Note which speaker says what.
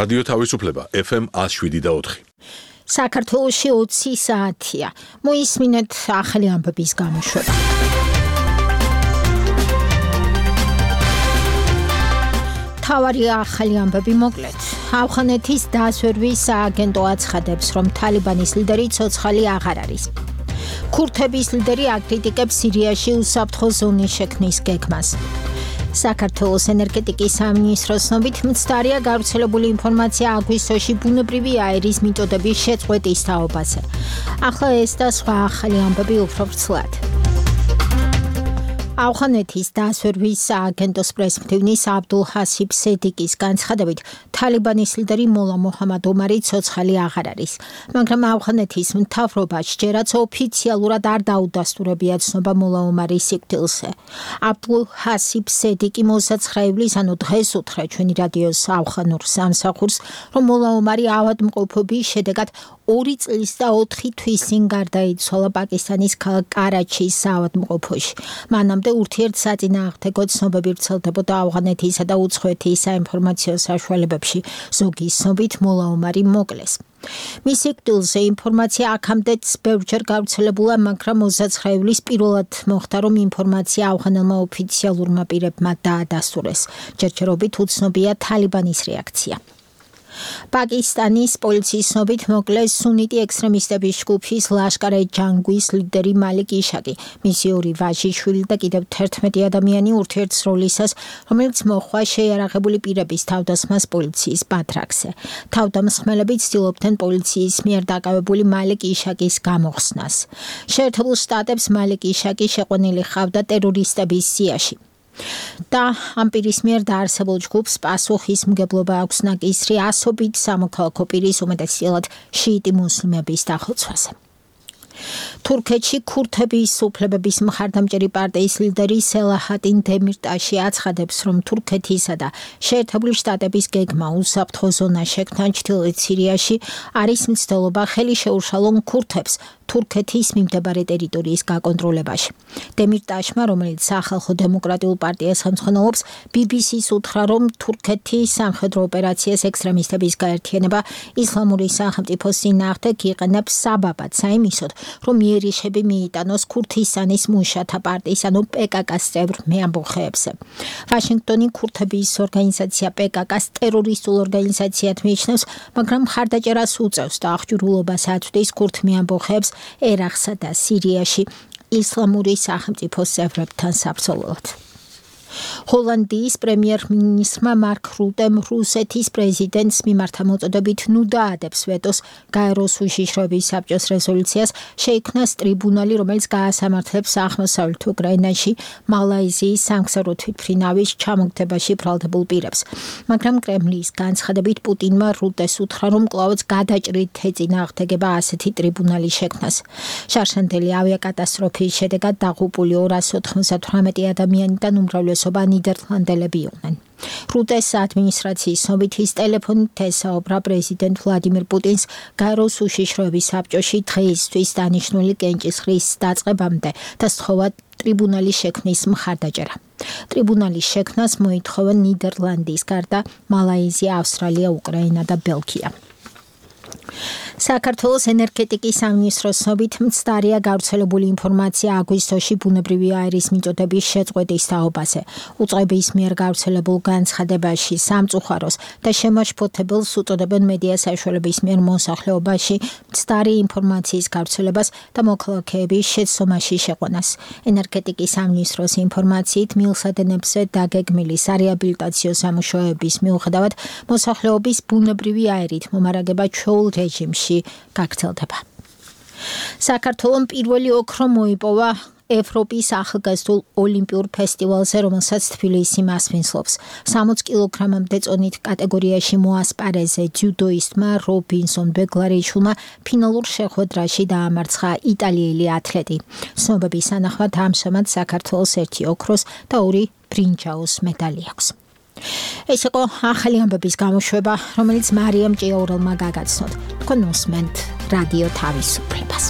Speaker 1: რადიო თავისუფლება FM 107.4.
Speaker 2: საქართველოში 20 საათია. მოისმინეთ ახალი ამბების გამოშვება. თავარი ახალი ამბები მოკლედ. ავღანეთის დასვერვის სააგენტო აცხადებს, რომ თალიბანის ლიდერი ცოცხალი აღარ არის. ქურთების ლიდერი აკრიტიკებს სირიაში უსაფრთხო ზონის შექმნის გეგმას. საქართველოს ენერგეტიკის სამინისტროს ცნობით მცდარია გავრცელებული ინფორმაცია აგვისტოში ბუნებრივი აირის მიწოდების შეწყვეტის თაობაზე. ახლა ეს და სხვა ახალი ამბები უფრო ვრცლად. ავღანეთის დასვერვის სააგენტოს პრესმდივნის აბდულ ჰასიბ სედიკის განცხადებით, თალიბანის ლიდერი მოლა მოჰამად ომარი ცოცხალი აღარ არის, მაგრამ ავღანეთის მთავრობა ჯერაც ოფიციალურად არ დაუდასტურებია ცნობა მოლა ომარის სიკვდილზე. აბდულ ჰასიბ სედიკი 29 ივლისს, ანუ დღეს უთხრა ჩვენი რადიოს ავღანურ სამსახურს, რომ მოლა ომარი ავადმყოფობის შედეგად 2 წლის და 4 თვის წინ გარდაიცვალა პაკისტანის ქალაქ კარაჩის საავადმყოფოში. მანამდე ურთიერთსაწინააღმდეგო ცნობები ვრცელდებოდა ავღანეთისა და უცხოეთის საინფორმაციო საშუალებებში. ზოგის ცნობით მოლა ომარი მოკლეს. მის სიკვდილზე ინფორმაცია აქამდეც ბევრჯერ გავრცელებულა, მაგრამ 29 ივლისს პირველად მოხდა, რომ ინფორმაცია ავღანელმა ოფიციალურმა პირებმა დაადასტურეს. ჯერჯერობით უცნობია თალიბანის რეაქცია. პაკისტანის პოლიციის ცნობით მოკლეს სუნიტი ექსტრემისტების ჯგუფის ლაშკარ-ე-ჯანგვის ლიდერი მალიკ იშაკი, მისი 2 ვაჟიშვილი და კიდევ 11 ადამიანი ურთიერთსროლისას, რომელიც მოჰყვა შეიარაღებული პირების თავდასხმას პოლიციის ბათრაკზე. თავდამსხმელები ცდილობდნენ პოლიციის მიერ დაკავებული მალიკ იშაკის გამოხსნას. შეერთებულ შტატებს მალიკ იშაკი შეყვანილი ჰყავდა ტერორისტების სიაში. და ამ პირის მიერ დაარსებულ ჯგუფს პასუხისმგებლობა აქვს ნაკისრი ასობით სამოქალაქო პირის, უმეტესწილად შიიტი მუსლიმების დახოცვაზე. თურქეთში ქურთების უფლებების მხარდამჭერი პარტიის ლიდერი სელაჰატინ დემირტაში აცხადებს, რომ თურქეთისა და შეერთებული შტატების გეგმა უსაფრთხო ზონა შექმნა ჩრდილოეთ სირიაში არის მცდელობა ხელი შეუშალონ ქურთებს თურქეთის მიმდებარე ტერიტორიის გაკონტროლებაში. დემირტაშმა, რომელიც სახალხო დემოკრატიულ პარტიას ხელმძღვანელობს, BBC-ს უთხრა, რომ თურქეთის სამხედრო ოპერაციას ექსტრემისტების გაერთიანება ისლამური სახელმწიფოს წინააღმდეგ იყენებს საბაბად საიმისოდ, რომ იერიშები მიიტანოს ქურთისტანის მუშათა პარტიის, ანუ PKK-ს წევრ მეამბოხეებზე. ვაშინგტონი ქურთების ორგანიზაცია PKK-ს ტერორისტულ ორგანიზაციად მიიჩნევს, მაგრამ მხარდაჭერას უწევს და აღჭურვილობას აწვდის ქურთ მეამბოხეებს ერაყსა და სირიაში ისლამური სახელმწიფოს წევრებთან საბრძოლველად. ჰოლანდიის პრემიერ-მინისტრმა მარკ რუტემ რუსეთის პრეზიდენტს მიმართა მოწოდებით ნუ დაადებს ვეტოს გაეროს უშიშროების საბჭოს რეზოლუციას, შეიქმნას ტრიბუნალი, რომელიც გაასამართლებს აღმოსავლეთ უკრაინაში მალაიზიის სამგზავრო თვითმფრინავის ჩამოგდებაში ბრალდებულ პირებს. მაგრამ კრემლის განცხადებით პუტინმა რუტეს უთხრა, რომ კვლავაც გადაჭრით ეწინააღმდეგება ასეთი ტრიბუნალის შექმნას. შარშანდელი ავიაკატასტროფის შედეგად დაღუპული 298 ადამიანიდან უმრავლესობა ნიდერლანდელები იყვნენ. რუტეს ადმინისტრაციის ცნობით ის ტელეფონით ესაუბრა პრეზიდენტ ვლადიმირ პუტინს გაეროს უშიშროების საბჭოში დღეისთვის დანიშნული კენჭისყრის დაწყებამდე და სთხოვა ტრიბუნალის შექმნის მხარდაჭერა. ტრიბუნალის შექმნას მოითხოვა ნიდერლანდის გარდა მალაიზია, ავსტრალია, უკრაინა და ბელგია. საქართველოს ენერგეტიკის სამინისტროს ცნობით მცდარია გავრცელებული ინფორმაცია აგვისტოში ბუნებრივი აირის მიწოდების შეწყვეტის თაობაზე. უწყების მიერ გავრცელებულ განცხადებაში სამწუხაროს და შემაშფოთებელს უწოდებენ მედია საშუალების მიერ მოსახლეობაში მცდარი ინფორმაციის გავრცელებას და მოქალაქეების შეცდომაში შეყვანას. ენერგეტიკის სამინისტროს ინფორმაციით მილსადენებზე დაგეგმილი სარეაბილიტაციო სამუშაოების მიუხედავად მოსახლეობის ბუნებრივი აირით მომარაგება ჩვეულ რეჟიმში გაგრძელდება. საქართველოს პირველი ოქრო მოიპოვა ევროპის ახალგაზრდულ ოლიმპიურ ფესტივალზე, რომელსაც თბილისი მასპინძლობს. 60 კილოგრამამდე წონით კატეგორიაში მოასპარეზე ძიუდოისტმა რობინსონ ბეგლარიშვილმა ფინალურ შეხვედრაში დაამარცხა იტალიელი ათლეტი. ცნობების თანახმად ამჟამად საქართველოს 1 ოქროს და 2 ბრინჯაოს მედალი აქვს. ეს იყო ახალი ამბების გამოშვება, რომელიც მარიამ ჭიაურელმა გაგაცნოთ. თქვენ უსმენთ რადიო თავისუფლებას.